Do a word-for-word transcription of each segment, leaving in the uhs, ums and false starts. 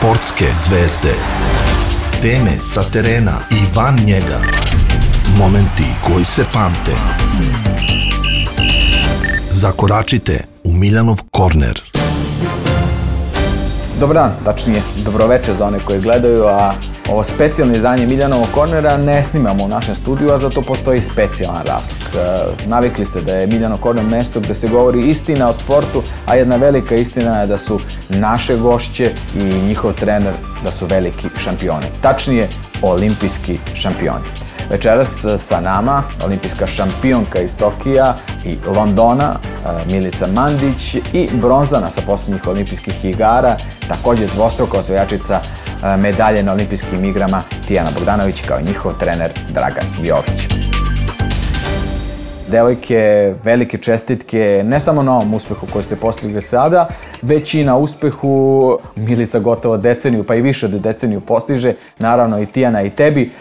Sportske zvezde. Teme sa terena i van njega. Momenti koji se pamte. Zakoračite u Miljanov korner. Dobar dan, tačnije dobroveče za one koji gledaju, a ovo specijalno izdanje Miljanovog kornera ne snimamo u našem studiju, a zato postoji specijalan razlog. Navikli ste da je Miljanov korner mesto gde se govori istina o sportu, a jedna velika istina je da su naše gošće i njihov trener da su veliki šampioni. Tačnije, olimpijski šampioni. Večeras sa nama olimpijska šampionka iz Tokija i Londona, Milica Mandić, i bronzana sa posljednjih olimpijskih igara, također dvostruka osvajačica medalje na olimpijskim igrama Tijana Bogdanović, kao i njihov trener Dragan Jović. Devojke, velike čestitke ne samo na ovom uspehu koji ste postigli sada, već i na uspehu. Milica gotovo deceniju, pa i više od deceniju postiže, naravno i Tijana i tebi.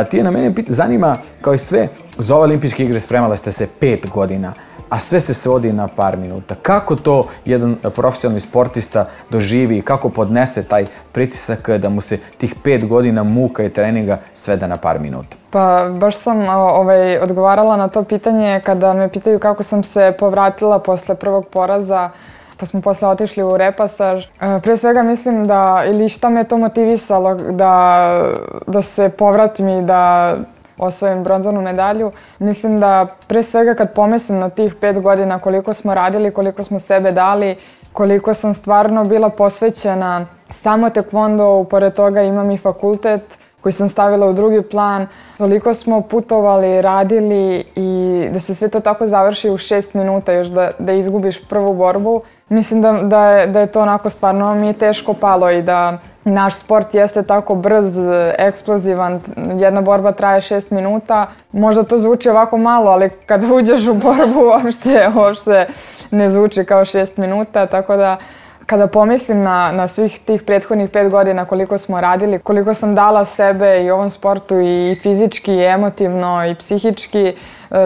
Tijana, mene zanima, kao i sve, za ove olimpijske igre spremala ste se pet godina, a sve se svodi na par minuta. Kako to jedan profesionalni sportista doživi i kako podnese taj pritisak da mu se tih pet godina muka i treninga svede na par minuta? Pa baš sam ovaj, odgovarala na to pitanje kada me pitaju kako sam se povratila posle prvog poraza, pa smo posle otišli u repasaž. Pre svega mislim da, ili šta me to motivisalo da, da se povratim i da osvojim bronzanu medalju. Mislim da pre svega kad pomislim na tih pet godina koliko smo radili, koliko smo sebe dali, koliko sam stvarno bila posvećena samo tekvondou, pored toga imam i fakultet koji sam stavila u drugi plan. Toliko smo putovali, radili i da se sve to tako završi u šest minuta još da, da izgubiš prvu borbu. Mislim da, da, je, da je to onako stvarno mi je teško palo i da naš sport jeste tako brz, eksplozivan, jedna borba traje šest minuta. Možda to zvuči ovako malo, ali kada uđeš u borbu uopšte, uopšte ne zvuči kao šest minuta, tako da kada pomislim na, na svih tih prethodnih pet godina koliko smo radili, koliko sam dala sebe i ovom sportu i fizički, i emotivno, i psihički,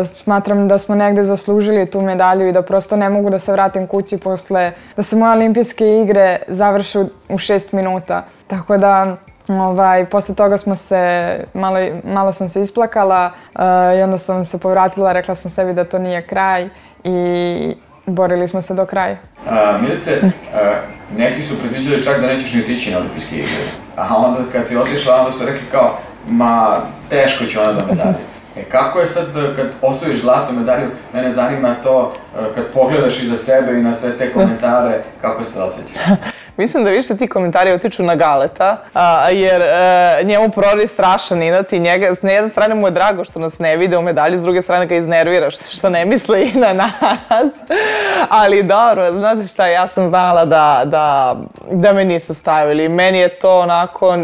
smatram da smo negde zaslužili tu medalju i da prosto ne mogu da se vratim kući posle, da se moje olimpijske igre završe u šest minuta. Tako da, ovaj, posle toga smo se, malo, malo sam se isplakala uh, i onda sam se povratila, rekla sam sebi da to nije kraj i borili smo se do kraja. Uh, Milice, uh, neki su predviđali čak da nećeš ni otići na olimpijske igre, a onda kad si otišla, onda su rekli kao, ma teško će ona da medalje. E, kako je sad kad osvojiš zlatnu medalju, mene zanima to kad pogledaš iza sebe i na sve te komentare, kako se osjećaš? Mislim da više ti komentari otiču na Galeta, a, jer a, njemu prori strašan inat i njega, s jedne strane mu je drago što nas ne vide u medalji, s druge strane ga iznervira što, što ne misle i na nas. Ali dobro, znate šta, ja sam znala da, da, da me nisu stavili. Meni je to onako,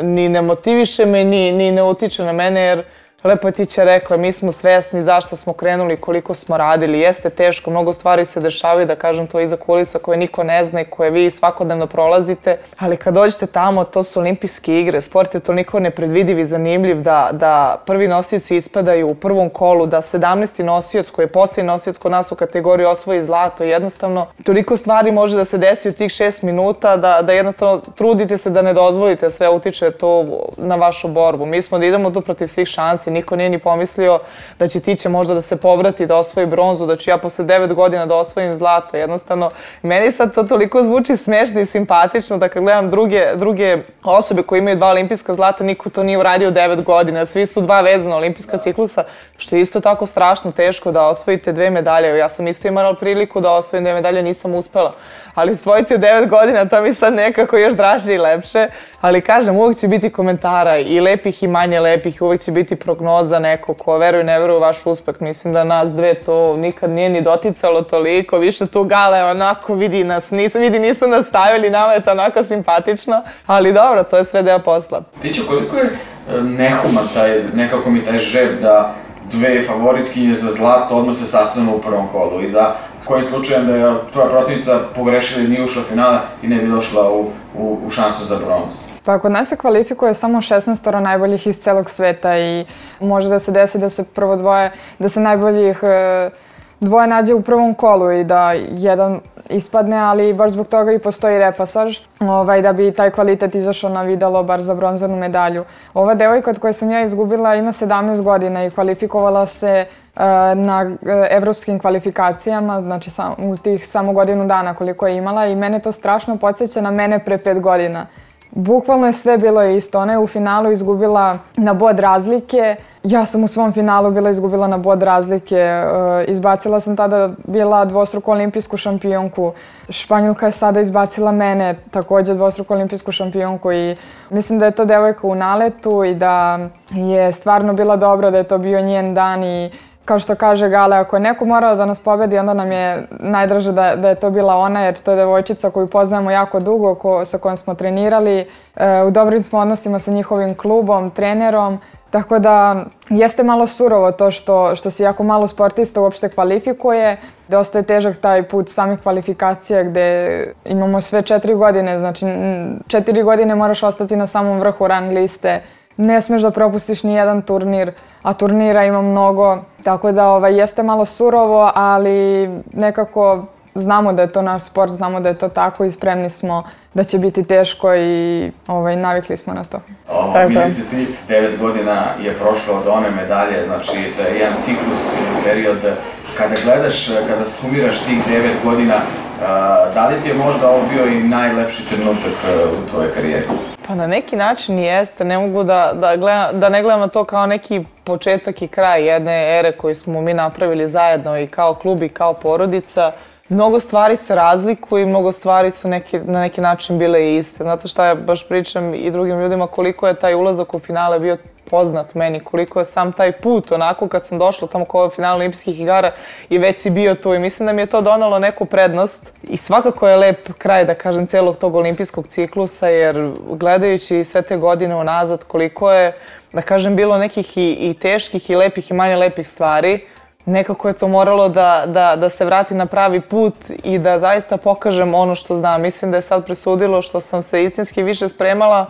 ni ne motiviše me, ni, ni ne utiče na mene, jer lepo je Tića rekla, mi smo svesni zašto smo krenuli, koliko smo radili. Jeste teško, mnogo stvari se dešavaju, da kažem to iza kulisa koje niko ne zna i koje vi svakodnevno prolazite. Ali kad dođete tamo, to su olimpijske igre, sport je toliko nepredvidiv i zanimljiv da, da prvi nosioci ispadaju u prvom kolu, da sedamnaesti nosioc koji je posljednji nosioc kod nas u kategoriji osvoji zlato. Jednostavno, toliko stvari može da se desi u tih šest minuta da, da jednostavno trudite se da ne dozvolite sve utiče to na vašu borbu. Mi smo da idemo tu protiv svih šansi. Niko nije ni pomislio da će Tića možda da se povrati, da osvoji bronzu, da ću ja posle devet godina da osvojim zlato. Jednostavno, meni sad to toliko zvuči smešno i simpatično da kad gledam druge, druge osobe koje imaju dva olimpijska zlata, niko to nije uradio devet godina. Svi su dva vezana olimpijska ciklusa, što je isto tako strašno teško da osvojite dve medalje. Ja sam isto imala priliku da osvojim dve medalje, nisam uspela. Ali osvojiti u devet godina, to mi sad nekako još draže i lepše. Ali kažem, uvijek će biti komentara i lepih i manje lepih, uvijek će biti prognoza neko ko veruje i ne veruje u vaš uspeh. Mislim da nas dve to nikad nije ni doticalo toliko, više tu Gale onako vidi nas, nisu, vidi nisu nas stavili, nama je to onako simpatično. Ali dobro, to je sve deo posla. Tića, koliko je nehuman taj, nekako mi taj žeb da dve favoritkinje za zlato odmah se sastanu u prvom kolu i da kojim slučajem da je tvoja protivnica pogrešila i nije ušla u finale i ne bi došla u, u, u šansu za bronzu? Pa kod nas se kvalifikuje samo šesnaest najboljih iz celog sveta i može da se desi da se prvo dvoje, da se najboljih dvoje nađe u prvom kolu i da jedan ispadne, ali baš zbog toga i postoji repasaž, ovaj, da bi taj kvalitet izašao na videlo, bar za bronzanu medalju. Ova devojka od koje sam ja izgubila ima sedamnaest godina i kvalifikovala se uh, na uh, evropskim kvalifikacijama, znači sam, u tih samo godinu dana koliko je imala i mene to strašno podsjeća na mene pre pet godina. Bukvalno je sve bilo isto. Ona je u finalu izgubila na bod razlike. Ja sam u svom finalu bila izgubila na bod razlike. Izbacila sam tada bila dvostruku olimpijsku šampionku. Španjolka je sada izbacila mene, također dvostruku olimpijsku šampionku i mislim da je to devojka u naletu i da je stvarno bila dobra, da je to bio njen dan i kao što kaže Gale, ako je neko morao da nas pobedi, onda nam je najdraže da, da je to bila ona, jer to je devojčica koju poznajemo jako dugo, ko, sa kojom smo trenirali. E, u dobrim smo odnosima sa njihovim klubom, trenerom, tako da jeste malo surovo to što, što se jako malo sportista uopšte kvalifikuje. Dosta je težak taj put samih kvalifikacija gde imamo sve četiri godine, znači četiri godine moraš ostati na samom vrhu rang liste. Ne smeš da propustiš ni jedan turnir, a turnira ima mnogo, tako da ovaj, jeste malo surovo, ali nekako znamo da je to naš sport, znamo da je to tako i spremni smo da će biti teško i ovaj, navikli smo na to. O, Milice, ti devet godina je prošlo od one medalje, znači to je jedan ciklus, period. Kada gledaš, kada sumiraš tih devet godina, da li ti je možda ovo bio i najlepši trenutak u tvojoj karijeri? Pa na neki način jeste, ne mogu da, da, gledam, da ne gledam na to kao neki početak i kraj jedne ere koju smo mi napravili zajedno i kao klub i kao porodica. Mnogo stvari se razlikuju i mnogo stvari su neki, na neki način bile iste. Znate šta ja baš pričam i drugim ljudima koliko je taj ulazak u finale bio poznat meni, koliko je sam taj put onako kad sam došla tamo kao finale olimpijskih igara i već si bio tu i mislim da mi je to donalo neku prednost i svakako je lep kraj da kažem celog tog olimpijskog ciklusa jer gledajući sve te godine unazad koliko je da kažem bilo nekih i, i teških i lepih i manje lepih stvari, nekako je to moralo da, da, da se vrati na pravi put i da zaista pokažem ono što znam. Mislim da je sad presudilo što sam se istinski više spremala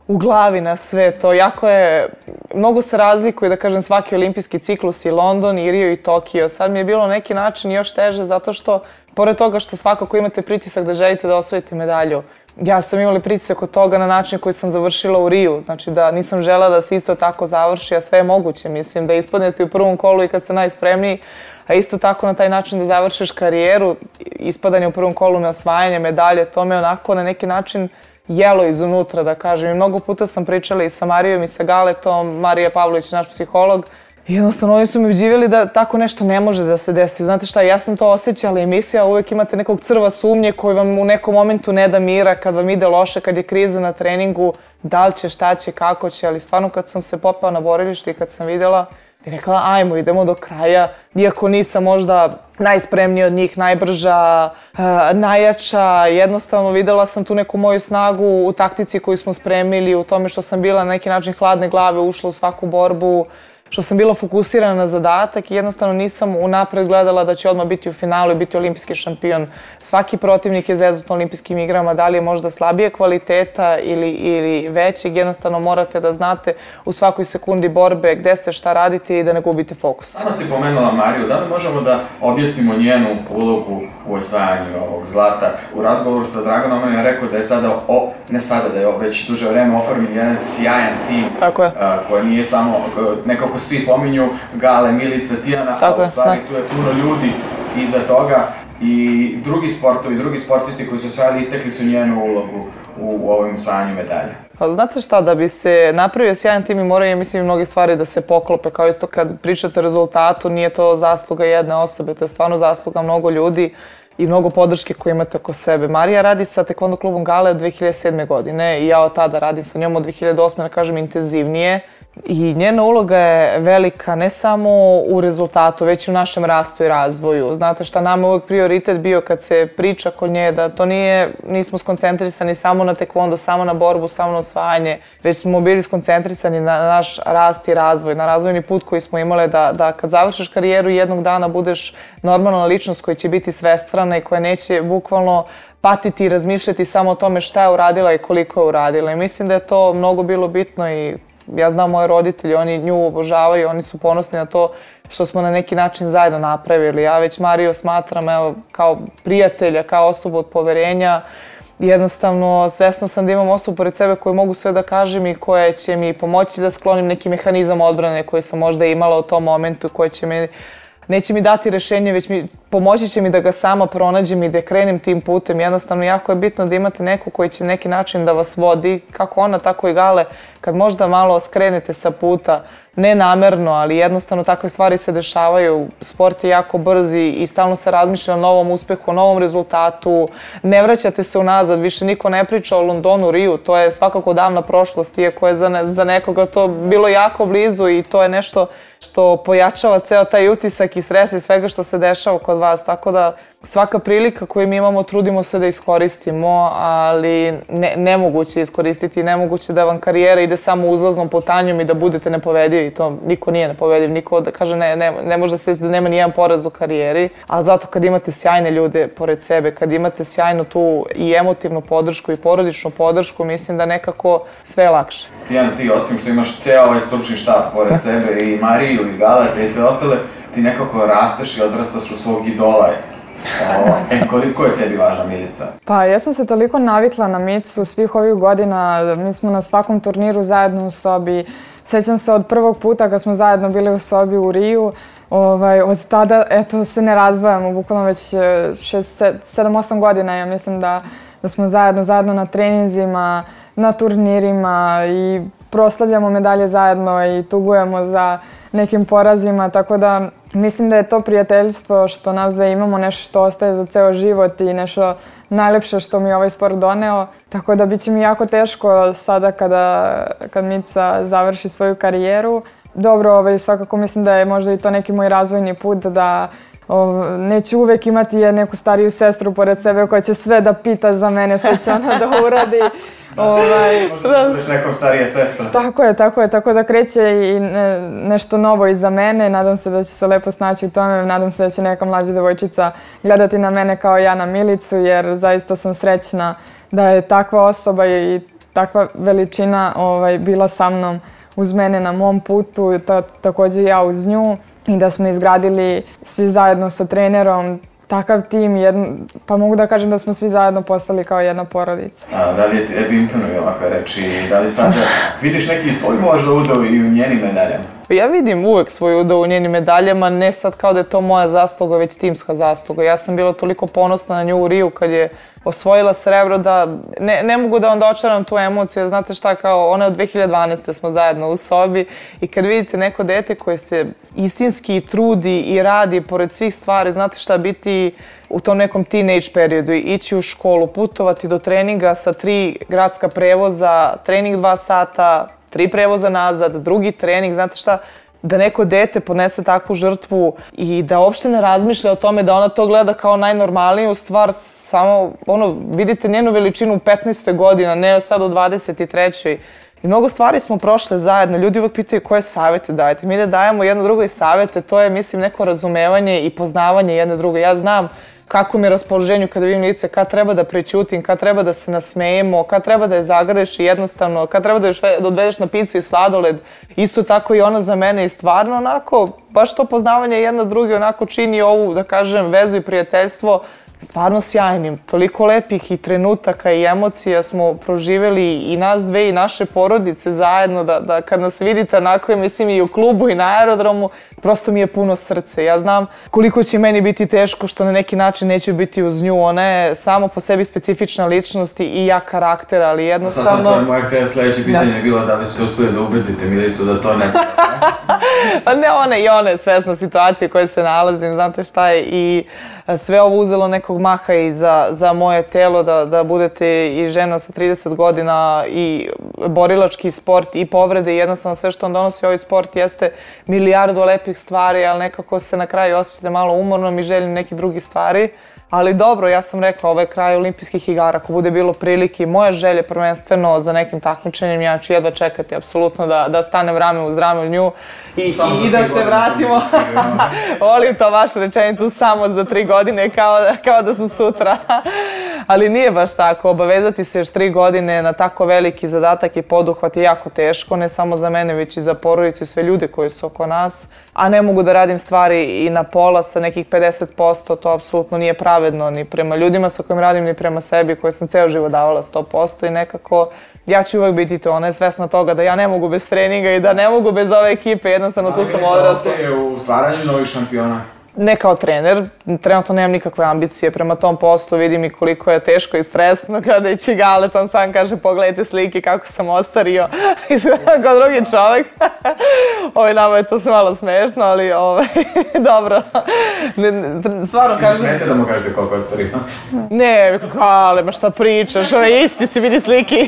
u glavi na sve to. Jako je, mnogo se razlikuje, da kažem, svaki olimpijski ciklus i London, i Rio i Tokio. Sad mi je bilo na neki način još teže zato što, pored toga što svakako imate pritisak da želite da osvojite medalju, ja sam imala pritisak od toga na način koji sam završila u Riju. Znači da nisam žela da se isto tako završi, a sve je moguće. Mislim da ispadnete u prvom kolu i kad ste najspremniji, a isto tako na taj način da završiš karijeru, ispadanje u prvom kolu na osvajanje medalje, to me onako na neki način jelo izunutra, da kažem. I mnogo puta sam pričala i sa Marijom i sa Galetom, Marija Pavlović je naš psiholog. I jednostavno oni su mi uđivili da tako nešto ne može da se desi. Znate šta, ja sam to osjećala i mislila, uvijek imate nekog crva sumnje koji vam u nekom momentu ne da mira, kad vam ide loše, kad je kriza na treningu, da li će, šta će, kako će, ali stvarno kad sam se popela na borilište i kad sam vidjela, i rekla ajmo, idemo do kraja, iako nisam možda najspremnija od njih, najbrža, uh, najjača, jednostavno videla sam tu neku moju snagu u taktici koju smo spremili, u tome što sam bila na neki način hladne glave, ušla u svaku borbu, što sam bila fokusirana na zadatak i jednostavno nisam unapred gledala da će odmah biti u finalu i biti olimpijski šampion. Svaki protivnik je zezut na olimpijskim igrama, da li je možda slabije kvaliteta ili, ili većeg, jednostavno morate da znate u svakoj sekundi borbe gde ste, šta radite i da ne gubite fokus. Sama si pomenula Mariju, da li možemo da objasnimo njenu ulogu u osvajanju ovog zlata? U razgovoru sa Draganom on je rekao da je sada, o, ne sada, da je već duže vreme oformljen jedan sjajan tim. Tako je. A, koji nije samo nekako svi pominju Gale, Milica, Tijana, a u stvari tu je puno ljudi iza toga i drugi sportovi, drugi sportisti koji su osvajali istekli su njenu ulogu u ovom osvajanju medalje. Pa znate šta, da bi se napravio sjajan tim i moraju, mislim, mnoge stvari da se poklope, kao isto kad pričate o rezultatu, nije to zasluga jedne osobe, to je stvarno zasluga mnogo ljudi i mnogo podrške koje imate oko sebe. Marija radi sa Taekwondo klubom Gale od dve hiljade sedme. godine i ja od tada radim sa njom od dve hiljade osme. da kažem intenzivnije. I njena uloga je velika ne samo u rezultatu, već i u našem rastu i razvoju. Znate šta, nama je uvijek prioritet bio kad se priča kod nje da to nije, nismo skoncentrisani samo na taekwondo, samo na borbu, samo na osvajanje, već smo bili skoncentrisani na naš rast i razvoj, na razvojni put koji smo imali da, da kad završiš karijeru jednog dana budeš normalna ličnost koja će biti svestrana i koja neće bukvalno patiti i razmišljati samo o tome šta je uradila i koliko je uradila. I mislim da je to mnogo bilo bitno i ja znam moje roditelji, oni nju obožavaju, oni su ponosni na to što smo na neki način zajedno napravili. Ja već Mariju smatram evo, kao prijatelja, kao osobu od poverenja. Jednostavno, svesna sam da imam osobu pored sebe koju mogu sve da kažem i koja će mi pomoći da sklonim neki mehanizam odbrane koji sam možda imala u tom momentu, koji će mi, neće mi dati rešenje, već mi pomoći će mi da ga sama pronađem i da krenem tim putem. Jednostavno, jako je bitno da imate neku koji će neki način da vas vodi, kako ona, tako i Gale, kad možda malo skrenete sa puta, ne namerno, ali jednostavno takve stvari se dešavaju. Sport je jako brz i stalno se razmišlja o novom uspehu, o novom rezultatu. Ne vraćate se unazad, više niko ne priča o Londonu, Riju, to je svakako davna prošlost, iako je za, ne, za nekoga to bilo jako blizu i to je nešto što pojačava ceo taj utisak i stres i svega što se dešava kod vas, tako da svaka prilika koju mi imamo trudimo se da iskoristimo, ali ne, nemoguće je iskoristiti, nemoguće da vam karijera ide samo uzlaznom putanjom i da budete nepovedivi. To niko nije nepovediv, niko da kaže ne, ne, ne može se da nema nijedan poraz u karijeri, ali zato kad imate sjajne ljude pored sebe, kad imate sjajnu tu i emotivnu podršku i porodičnu podršku, mislim da nekako sve je lakše. Tijana, ti osim što imaš ceo ovaj stručni štab pored sebe i Mariju i Galeta i sve ostale, ti nekako rasteš i odrastaš u svog idola. O, e, koliko je tebi važna Milica? Pa ja sam se toliko navikla na Micu svih ovih godina, mi smo na svakom turniru zajedno u sobi. Sećam se od prvog puta kad smo zajedno bili u sobi u Riju, ovaj, od tada eto, se ne razdvajamo, bukvalno već šest, sedam, osam godina ja mislim da, da smo zajedno, zajedno na treninzima, na turnirima i proslavljamo medalje zajedno i tugujemo za nekim porazima, tako da mislim da je to prijateljstvo što nas dve imamo nešto što ostaje za ceo život i nešto najlepše što mi je ovaj sport doneo. Tako da bit će mi jako teško sada kada, kad Mica završi svoju karijeru. Dobro, ovaj, svakako mislim da je možda i to neki moj razvojni put da o, neću uvek imati neku stariju sestru pored sebe koja će sve da pita za mene, sve će ona da uradi. Ovaj, možda da budeš nekom starija sestra. Tako je, tako je, tako da kreće i ne, nešto novo iza mene. Nadam se da će se lepo snaći u tome, nadam se da će neka mlađa devojčica gledati na mene kao ja na Milicu, jer zaista sam srećna da je takva osoba i takva veličina ovaj, bila sa mnom uz mene na mom putu, ta, takođe ja uz nju i da smo izgradili svi zajedno sa trenerom takav tim, jedno, pa mogu da kažem da smo svi zajedno postali kao jedna porodica. A, da li je tebi imponuju ovakve reči? Da li sad vidiš neki svoj možda udao i u njenim medaljama? Ja vidim uvek svoj udao u njenim medaljama, ne sad kao da je to moja zasluga, već timska zasluga. Ja sam bila toliko ponosna na nju u Riju kad je osvojila srebro da ne, ne mogu da vam dočaram tu emociju. Znate šta, kao ona od dve hiljade dvanaeste smo zajedno u sobi i kad vidite neko dete koje se istinski trudi i radi pored svih stvari, znate šta, biti u tom nekom teenage periodu, ići u školu, putovati do treninga sa tri gradska prevoza, trening dva sata, tri prevoza nazad, drugi trening, znate šta, da neko dete podnese takvu žrtvu i da uopšte ne razmišlja o tome da ona to gleda kao najnormalniju stvar, samo ono, vidite njenu veličinu u petnaestoj godini, ne sad u dvadeset trećoj I mnogo stvari smo prošle zajedno, ljudi uvek pitaju koje savjete dajete. Mi da dajemo jedno drugo i savjete, to je mislim neko razumevanje i poznavanje jedne druge. Ja znam kako mi je raspoloženju kada vidim lice, kad treba da prećutim, kad treba da se nasmejemo, kad treba da je zagreš i jednostavno, kad treba da je odvedeš na picu i sladoled. Isto tako i ona za mene i stvarno onako, baš to poznavanje jedna druge onako čini ovu, da kažem, vezu i prijateljstvo stvarno sjajnim. Toliko lepih i trenutaka i emocija smo proživjeli i nas dve i naše porodice zajedno, da, da kad nas vidite onako, mislim i u klubu i na aerodromu, prosto mi je puno srce. Ja znam koliko će meni biti teško što na neki način neću biti uz nju. Ona je samo po sebi specifična ličnost i jak karakter, ali jednostavno... Sad to je moja htjela sljedeće pitanje je bilo da li ste uspjeli da ubedite Milicu da to ne... Pa ne, ona i ona je svesna situacije u kojoj se nalazim, znate šta je, i sve ovo uzelo nekog maha i za, za moje telo, da, da budete i žena sa trideset godina i borilački sport i povrede i jednostavno sve što on donosi ovaj sport jeste milijardu lepih stvari, ali nekako se na kraju osjećate malo umornom i željim nekih drugih stvari. Ali dobro, ja sam rekla, ovo je kraj olimpijskih igara, ako bude bilo prilike, moja želja prvenstveno za nekim takmičenjem, ja ću jedva čekati apsolutno da, da stanem rame uz rame u nju i, i, i da se vratimo. Volim to vašu rečenicu, samo za tri godine, kao, kao da su sutra. ali nije baš tako. Obavezati se još tri godine na tako veliki zadatak i poduhvat je jako teško, ne samo za mene, već i za porodicu i sve ljude koji su oko nas. A ne mogu da radim stvari i na pola sa nekih pedeset posto, to apsolutno nije pravedno ni prema ljudima sa kojim radim, ni prema sebi, koje sam ceo život davala sto posto i nekako ja ću uvek biti to, ona je svesna toga da ja ne mogu bez treninga i da ne mogu bez ove ekipe, jednostavno tu sam odrasla. Ali ostaje u stvaranju novih šampiona? Ne kao trener, trenutno nemam nikakve ambicije prema tom poslu, vidim i koliko je teško i stresno kada ići Galet, on sam kaže pogledajte slike kako sam ostario, izgledam kao drugi čovek. Ovaj, nama je to sve malo smešno, ali ovaj, dobro. Stvarno kažem... Smete da mu kažete koliko je ostario? Ne, Gale, ma šta pričaš, ovaj, isti si vidi slike.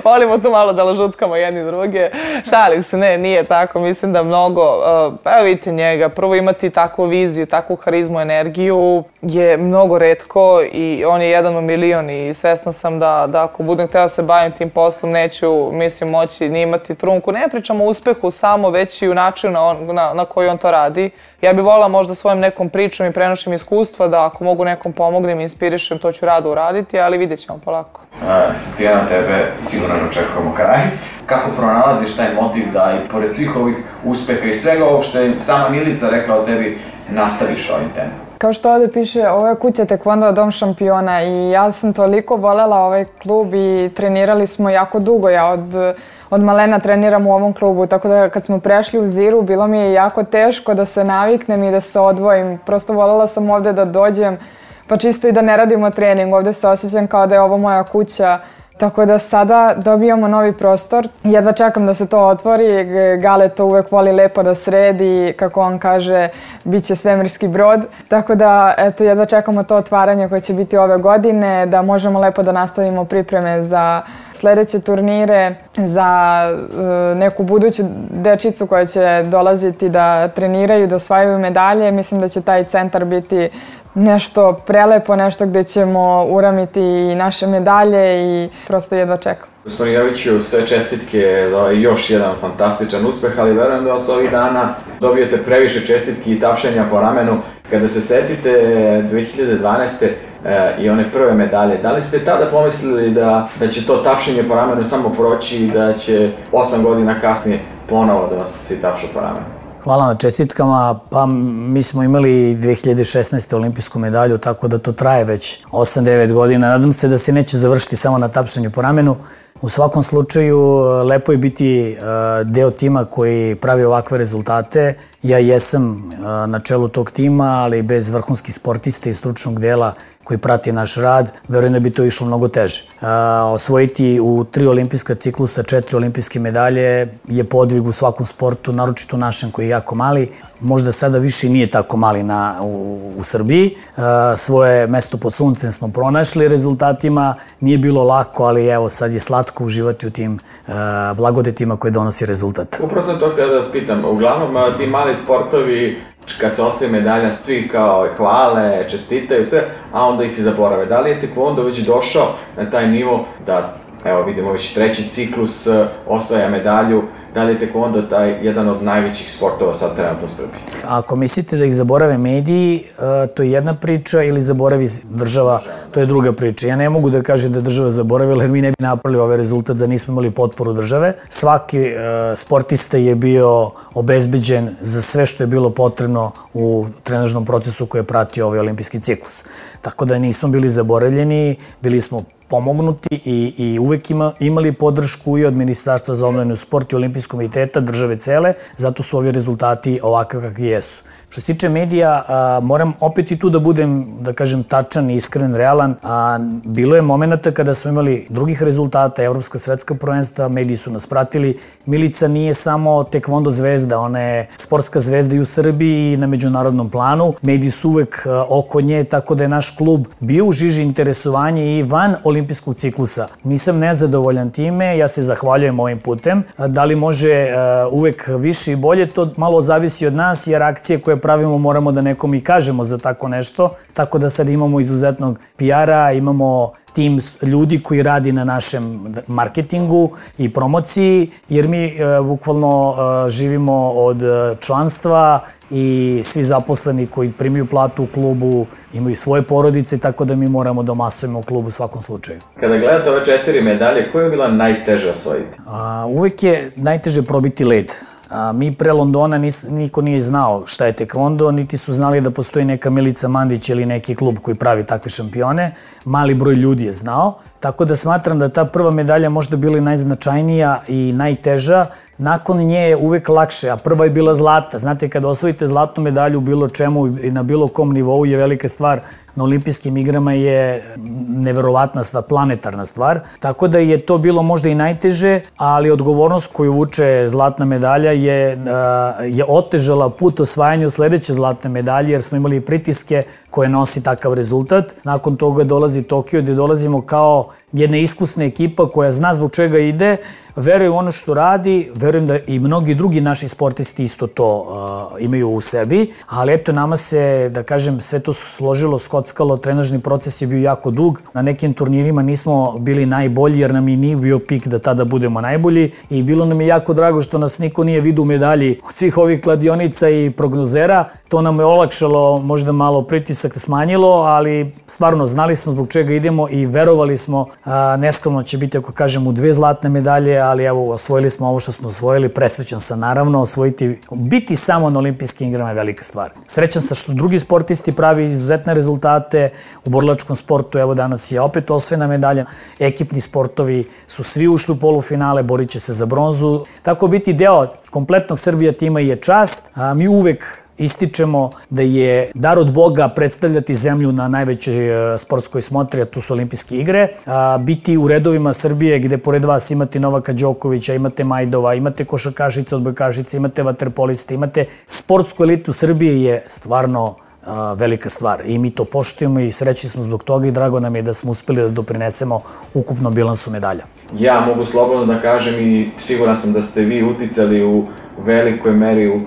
Volimo tu malo da lažuckamo jedni druge. Šalim se, ne, nije tako, mislim da mnogo, pa evo vidite njega, prvo imati takvu viziju, takvu harizmu, energiju je mnogo retko i on je jedan u milion i svesna sam da, da ako budem htjela se bavim tim poslom neću, mislim, moći ni imati trunku. Ne pričam o uspehu samo, već i u načinu na, na, na koji on to radi. Ja bih volila možda svojom nekom pričom i prenošim iskustva da ako mogu nekom pomognem i inspirišem, to ću rado uraditi, ali vidjet ćemo polako. Tijana, tebe sigurno ne očekujemo kraj. Kako pronalaziš taj motiv da i pored svih ovih uspeha i svega ovog što je sama Milica rekla o tebi, nastaviš ovim tempom? Kao što ovdje piše, ovo je kuća Tekvondo dom šampiona i ja sam toliko voljela ovaj klub i trenirali smo jako dugo. Ja od, od malena treniram u ovom klubu, tako da kad smo prešli u Ziru bilo mi je jako teško da se naviknem i da se odvojim. Prosto voljela sam ovdje da dođem, pa čisto i da ne radimo trening. Ovdje se osjećam kao da je ovo moja kuća. Tako da sada dobijamo novi prostor. Jedva čekam da se to otvori. Gale to uvek voli lepo da sredi, kako on kaže, bit će svemirski brod. Tako da, eto, jedva čekamo to otvaranje koje će biti ove godine, da možemo lepo da nastavimo pripreme za sledeće turnire, za uh, neku buduću dečicu koja će dolaziti da treniraju, da osvajaju medalje. Mislim da će taj centar biti nešto prelepo, nešto gdje ćemo uramiti i naše medalje i prosto jedva čekam. Gospodin Joviću, sve čestitke za ovaj još jedan fantastičan uspeh, ali verujem da vas ovih dana dobijete previše čestitki i tapšanja po ramenu. Kada se setite dve hiljade dvanaeste. i one prve medalje, da li ste tada pomislili da, da će to tapšenje po ramenu samo proći i da će osam godina kasnije ponovo da vas svi tapšu po ramenu? Hvala na čestitkama, pa mi smo imali dve hiljade šesnaeste. olimpijsku medalju, tako da to traje već osam devet godina. Nadam se da se neće završiti samo na tapšanju po ramenu. U svakom slučaju, lepo je biti deo tima koji pravi ovakve rezultate. Ja jesam na čelu tog tima, ali bez vrhunskih sportista i stručnog dela koji prati naš rad, verujem da bi to išlo mnogo teže. Osvojiti u tri olimpijska ciklusa četiri olimpijske medalje je podvig u svakom sportu, naročito našem koji je jako mali. Možda sada više nije tako mali na, u, u Srbiji. Svoje mesto pod suncem smo pronašli rezultatima. Nije bilo lako, ali evo sad je slatko uživati u tim blagodetima koje donosi rezultat. Upravo sam to htio da vas pitam. Uglavnom ti mali sportovi, kad se osvoji medalja, svi kao hvale, čestitaju sve, a onda ih zaborave. Da li je Tekvondo već došao na taj nivo da, evo vidimo već treći ciklus osvaja medalju, da li je Tekvondo taj jedan od najvećih sportova sad trenutno u Srbiji? Ako mislite da ih zaborave mediji, to je jedna priča, ili zaboravi država, to je druga priča. Ja ne mogu da kažem da je država zaboravila, jer mi ne bi napravili ovaj rezultat da nismo imali potporu države. Svaki sportista je bio obezbeđen za sve što je bilo potrebno u trenažnom procesu koji je pratio ovaj olimpijski ciklus. Tako da nismo bili zaboravljeni, bili smo pomognuti i, i uvek ima, imali podršku i od Ministarstva za omladinu, sport i Olimpijskog komiteta, države cele, zato su ovi rezultati ovakve kakvi jesu. Što se tiče medija, a, moram opet i tu da budem, da kažem, tačan, iskren, realan. A, bilo je momenta kada smo imali drugih rezultata, evropska, svetska prvenstva, mediji su nas pratili. Milica nije samo tekvondo zvezda, ona je sportska zvezda i u Srbiji i na međunarodnom planu. Mediji su uvek a, oko nje, tako da je naš klub bio u žiži interesovanja i van olimpijskog ciklusa. Nisam nezadovoljan time, ja se zahvaljujem ovim putem. Da li može uh, uvek više i bolje, to malo zavisi od nas, jer akcije koje pravimo moramo da nekom i kažemo za tako nešto. Tako da sad imamo izuzetnog P R-a, imamo tim ljudi koji radi na našem marketingu i promociji, jer mi e, bukvalno e, živimo od članstva i svi zaposleni koji primaju platu u klubu imaju svoje porodice, tako da mi moramo da masujemo u klubu u svakom slučaju. Kada gledate ove četiri medalje, koja je bila najteže osvojiti? A, uvek je najteže probiti led. A, mi pre Londona nis, niko nije znao šta je tekvondo, niti su znali da postoji neka Milica Mandić ili neki klub koji pravi takve šampione. Mali broj ljudi je znao, tako da smatram da ta prva medalja možda bila i najznačajnija i najteža. Nakon nje je uvek lakše, a prva je bila zlata. Znate, kada osvojite zlatnu medalju u bilo čemu i na bilo kom nivou je velika stvar. Na olimpijskim igrama je neverovatna stvar, planetarna stvar. Tako da je to bilo možda i najteže, ali odgovornost koju vuče zlatna medalja je, je otežala put osvajanju sledeće zlatne medalje, jer smo imali pritiske koje nosi takav rezultat. Nakon toga dolazi Tokio, gde dolazimo kao jedna iskusna ekipa koja zna zbog čega ide, veruje u ono što radi, verujem da i mnogi drugi naši sportisti isto to uh, imaju u sebi, ali eto nama se, da kažem, sve to složilo, skockalo, trenažni proces je bio jako dug, na nekim turnirima nismo bili najbolji jer nam i nije bio pik da tada budemo najbolji i bilo nam je jako drago što nas niko nije vidio u medalji od svih ovih kladionica i prognozera, to nam je olakšalo, možda malo pritisak smanjilo, ali stvarno znali smo zbog čega idemo i verovali smo, a, neskromno će biti ako kažem u dve zlatne medalje, ali evo osvojili smo ovo što smo osvojili, presrećan sam naravno, osvojiti, biti samo na olimpijskim igrama je velika stvar. Srećan sam što drugi sportisti pravi izuzetne rezultate u borilačkom sportu, evo danas je opet osvojena medalja, ekipni sportovi su svi ušli u polufinale, borit će se za bronzu, tako biti deo kompletnog Srbija tima je čast, a mi uvek ističemo da je dar od Boga predstavljati zemlju na najvećoj sportskoj smotri, a tu su olimpijske igre. A, biti u redovima Srbije gde pored vas imate Novaka Đokovića, imate Majdova, imate košarkašice, odbojkašice, imate vaterpoliste, imate sportsku elitu Srbije je stvarno a, velika stvar. I mi to poštujemo i srećni smo zbog toga i drago nam je da smo uspeli da doprinesemo ukupnom bilansu medalja. Ja mogu slobodno da kažem i siguran sam da ste vi uticali u velikoj meri u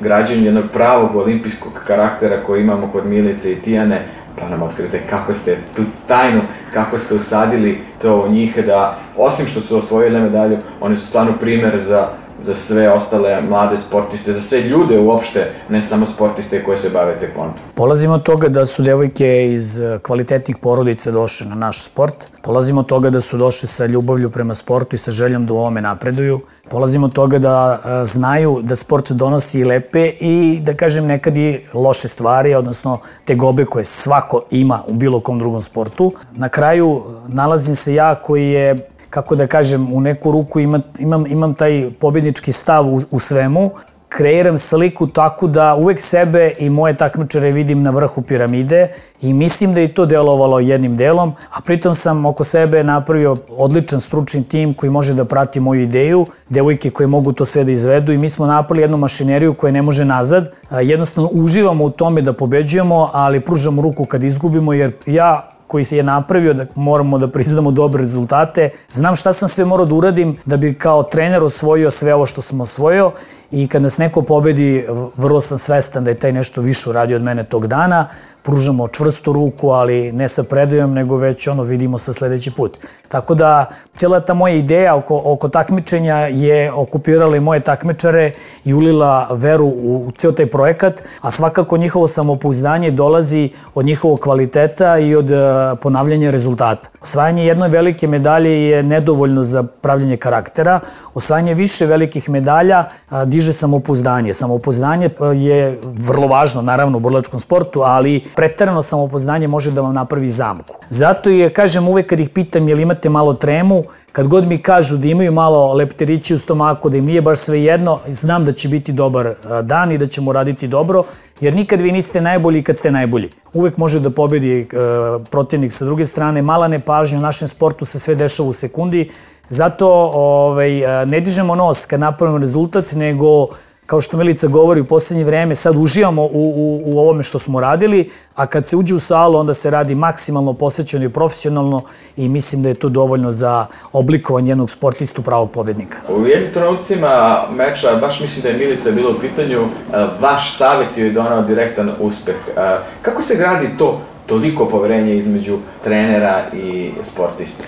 građenju jednog pravog olimpijskog karaktera koji imamo kod Milice i Tijane, pa nam otkrite kako ste tu tajnu, kako ste usadili to u njih, da osim što su osvojile medalju, oni su stvarno primer za, za sve ostale mlade sportiste, za sve ljude uopšte, ne samo sportiste koje se bave tekvondom. Polazimo od toga da su devojke iz kvalitetnih porodica došle na naš sport, polazimo od toga da su došle sa ljubavlju prema sportu i sa željom da u ovome napreduju, polazimo od toga da a, znaju da sport donosi i lepe i da kažem nekad i loše stvari, odnosno tegobe koje svako ima u bilo kom drugom sportu. Na kraju nalazim se ja koji je, kako da kažem, u neku ruku ima, imam, imam taj pobjednički stav u, u svemu, kreiram sliku tako da uvek sebe i moje takmičare vidim na vrhu piramide i mislim da je to delovalo jednim delom, a pritom sam oko sebe napravio odličan stručni tim koji može da prati moju ideju, devojke koje mogu to sve da izvedu i mi smo napravili jednu mašineriju koja ne može nazad. Jednostavno uživamo u tome da pobeđujemo, ali pružamo ruku kad izgubimo jer ja koji se je napravio da moramo da priznamo dobre rezultate. Znam šta sam sve morao da uradim da bi kao trener osvojio sve ovo što sam osvojio i kad nas neko pobedi, vrlo sam svestan da je taj nešto više uradio od mene tog dana. Pružamo čvrstu ruku, ali ne sa predajom, nego već ono vidimo sa sledeći put. Tako da, cijela ta moja ideja oko, oko takmičenja je okupirala i moje takmičare i ulila veru u, u ceo taj projekat, a svakako njihovo samopouzdanje dolazi od njihovog kvaliteta i od uh, ponavljanja rezultata. Osvajanje jedne velike medalje je nedovoljno za pravljenje karaktera. Osvajanje više velikih medalja uh, diže samopouzdanje. Samopouzdanje je vrlo važno, naravno, u borilačkom sportu, ali preterano samopouzdanje može da vam napravi zamku. Zato je, kažem, uvek kad ih pitam jel imate malo tremu, kad god mi kažu da imaju malo lepterići u stomaku, da im nije baš sve jedno, znam da će biti dobar dan i da ćemo raditi dobro, jer nikad vi niste najbolji kad ste najbolji. Uvek može da pobedi e, protivnik sa druge strane, mala nepažnja u našem sportu se sve dešava u sekundi, zato ovaj, ne dižemo nos kad napravimo rezultat, nego kao što Milica govori u poslednje vreme, sad uživamo u, u, u ovome što smo radili, a kad se uđe u salu, onda se radi maksimalno posvećeno i profesionalno i mislim da je to dovoljno za oblikovanje jednog sportistu pravog pobednika. U jednim trenucima meča, baš mislim da je Milica bila u pitanju, vaš savjet je donao direktan uspeh. Kako se gradi to, toliko poverenja između trenera i sportista?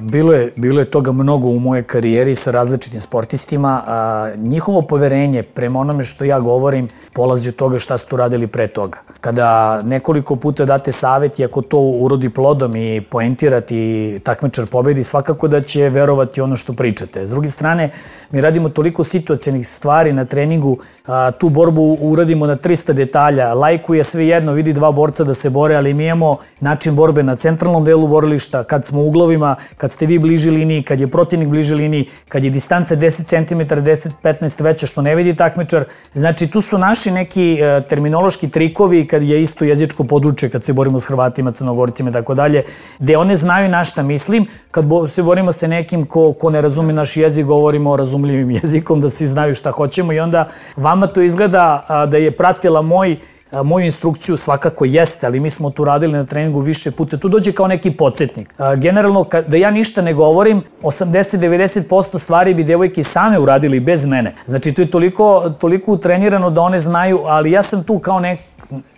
Bilo je, bilo je toga mnogo u mojoj karijeri sa različitim sportistima. A, njihovo poverenje prema onome što ja govorim polazi od toga šta su tu radili pre toga. Kada nekoliko puta date savjet i ako to urodi plodom i poentirati i takmičar pobedi, svakako da će verovati ono što pričate. S druge strane, mi radimo toliko situacijenih stvari na treningu, a, tu borbu uradimo na tristo detalja. Lajku je sve jedno, vidi dva borca da se bore, ali mi imamo način borbe na centralnom delu borilišta, kad smo u uglovima, kad ste vi bliži liniji, kad je protivnik bliži liniji, kad je distanca deset centimetara, deset do petnaest veća što ne vidi takmičar. Znači tu su naši neki e, terminološki trikovi kad je isto jezičko područje, kad se borimo s Hrvatima, Crnogorcima i tako dalje, gde one znaju na šta mislim. Kad bo, se borimo sa nekim ko, ko ne razume naš jezik, govorimo razumljivim jezikom, da svi znaju šta hoćemo i onda vama to izgleda a, da je pratila moj moju instrukciju, svakako jeste, ali mi smo tu radili na treningu više puta. Tu dođe kao neki podsjetnik. Generalno, da ja ništa ne govorim, osamdeset do devedeset posto stvari bi devojke same uradili bez mene. Znači, to je toliko, toliko utrenirano da one znaju, ali ja sam tu kao nek,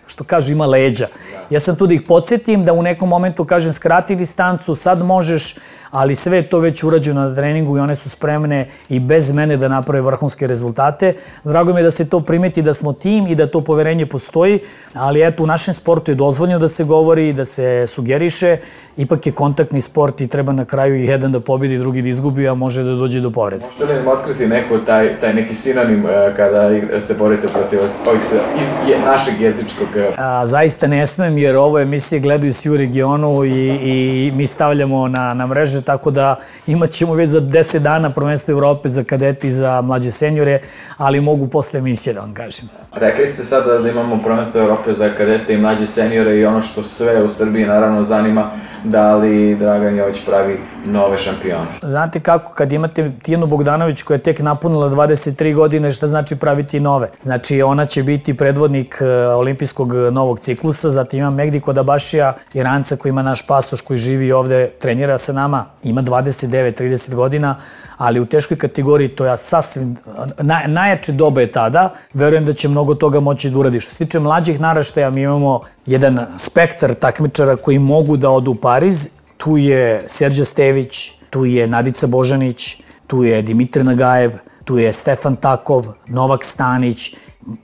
što kažu, ima leđa. Ja sam tu da ih podsjetim, da u nekom momentu kažem skrati distancu, sad možeš, ali sve je to već urađeno na treningu i one su spremne i bez mene da naprave vrhunske rezultate. Drago mi je da se to primeti, da smo tim i da to poverenje postoji, ali eto, u našem sportu je dozvoljeno da se govori, da se sugeriše, ipak je kontaktni sport i treba na kraju i jedan da pobedi, drugi da izgubi, a može da dođe do povrede. Možete li nam otkriti neko taj, taj neki sinonim kada se borite protiv ovih iz je, našeg jezičkog? A, zaista ne smem, jer ovo emisije gledaju svi u regionu i, i mi stavljamo na, na mreže, tako da imat ćemo već za deset dana prvenstvo Evrope za kadete i za mlađe senjore, ali mogu posle emisije da vam kažem. Rekli ste sada da imamo prvenstvo Evrope za kadete i mlađe senjore i ono što sve u Srbiji naravno zanima, da li Dragan Jović pravi nove šampione? Znate kako, kad imate Tijanu Bogdanović koja je tek napunila dvadeset tri godine, šta znači praviti nove? Znači ona će biti predvodnik olimpijskog novog ciklusa, zatim ima Megdi Kodabašija, Iranca koji ima naš pasoš, koji živi ovde, trenira sa nama, ima dvadeset devet trideset godina, ali u teškoj kategoriji to je sasvim, naj, najjače doba je tada, verujem da će mnogo toga moći da uradi. Što se tiče mlađih naraštaja, mi imamo jedan spektar takmičara koji mogu da odu u Pariz, tu je Serđa Stević, tu je Nadica Božanić, tu je Dimitar Nagajev, tu je Stefan Takov, Novak Stanić,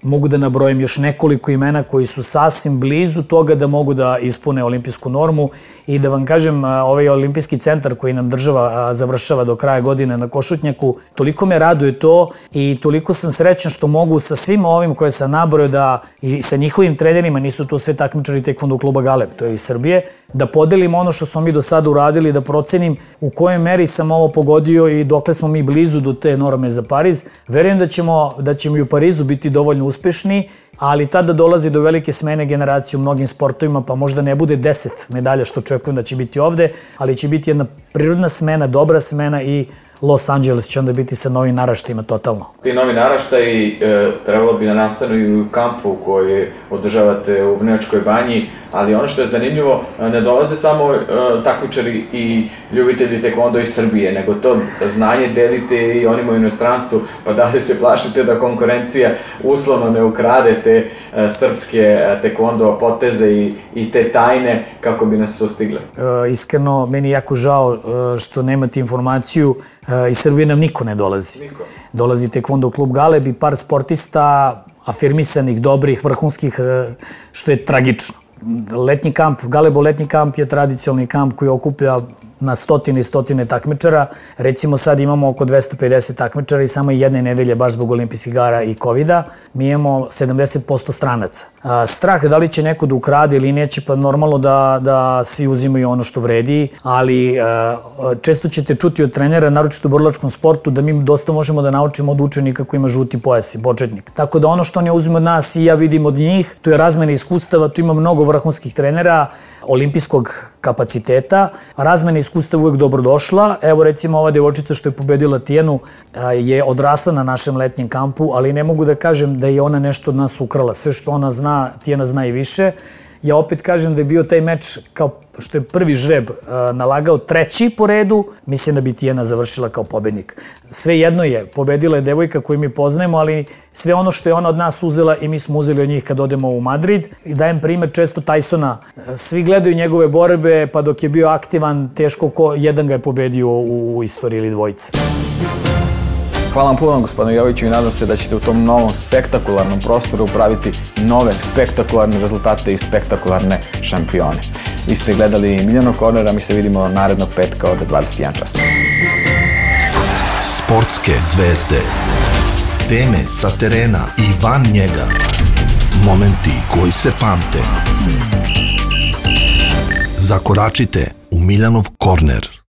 mogu da nabrojim još nekoliko imena koji su sasvim blizu toga da mogu da ispune olimpijsku normu i da vam kažem, ovaj olimpijski centar koji nam država završava do kraja godine na Košutnjaku, toliko me raduje to i toliko sam srećan što mogu sa svim ovim koje sam nabrojao da i sa njihovim trenerima, nisu to sve takmičari Tekvondo kluba Galeb, to je iz Srbije, da podelim ono što smo mi do sada uradili, da procenim u kojoj meri sam ovo pogodio i dokle smo mi blizu do te norme za Pariz. Verujem da ćemo, da ćemo i u Parizu biti dovoljno uspešni, ali tada dolazi do velike smene generacije u mnogim sportovima, pa možda ne bude deset medalja što očekujem da će biti ovde, ali će biti jedna prirodna smena, dobra smena i Los Angeles će onda biti sa novim naraštajima totalno. Ti novi naraštaji e, trebalo bi da nastanu i u kampu koji održavate u Vrnjačkoj banji, ali ono što je zanimljivo, ne dolaze samo e, takmičari i ljubitelji tekvondo iz Srbije, nego to znanje delite i onima u inostranstvu, pa da li se plašite da konkurencija uslovno ne ukrade te e, srpske tekvondo poteze i, i te tajne kako bi nas sustigle? E, iskreno, meni je jako žao e, što nemate informaciju. Iz Srbije nam niko ne dolazi. Niko. Dolazi Tekvondo klub Galeb i par sportista afirmisanih, dobrih, vrhunskih, što je tragično. Letnji kamp, Galebo letnji kamp je tradicionalni kamp koji okuplja na stotine i stotine takmičara. Recimo sad imamo oko dvesta pedeset takmičara i samo jedne nedelje, baš zbog olimpijskih igara i kovida, mi imamo sedamdeset posto stranaca. A, strah da li će neko da ukrade ili neće, pa normalno da, da svi uzimaju ono što vredi, ali a, često ćete čuti od trenera, naročito u borilačkom sportu, da mi dosta možemo da naučimo od učenika koji ima žuti pojas i početnik. Tako da ono što oni uzimaju od nas i ja vidim od njih, tu je razmena iskustava, tu ima mnogo vrhunskih trenera, olimpijskog kapaciteta, razmena iskustava uvek dobrodošla. Evo recimo ova devojčica što je pobedila Tijanu je odrasla na našem letnjem kampu, ali ne mogu da kažem da je ona nešto od nas ukrala. Sve što ona zna, Tijana zna i više. Ja opet kažem da je bio taj meč, kao što je prvi žreb nalagao treći po redu, mislim da bi Tijana završila kao pobednik. Sve jedno je, pobedila je devojka koju mi poznajemo, ali sve ono što je ona od nas uzela i mi smo uzeli od njih kad odemo u Madrid. I dajem primer često Tysona. Svi gledaju njegove borbe, pa dok je bio aktivan, teško ko jedan ga je pobedio u istoriji ili dvojica. Hvala vam puno, gospodine Joviću, i nadam se da ćete u tom novom spektakularnom prostoru praviti nove spektakularne rezultate i spektakularne šampione. Vi ste gledali Miljanog kornera, mi se vidimo narednog petka od dvadeset jedan čas. Sportske zvezde, teme sa terena i van njega, momenti koji se pamte. Zakoračite u Miljanov korner.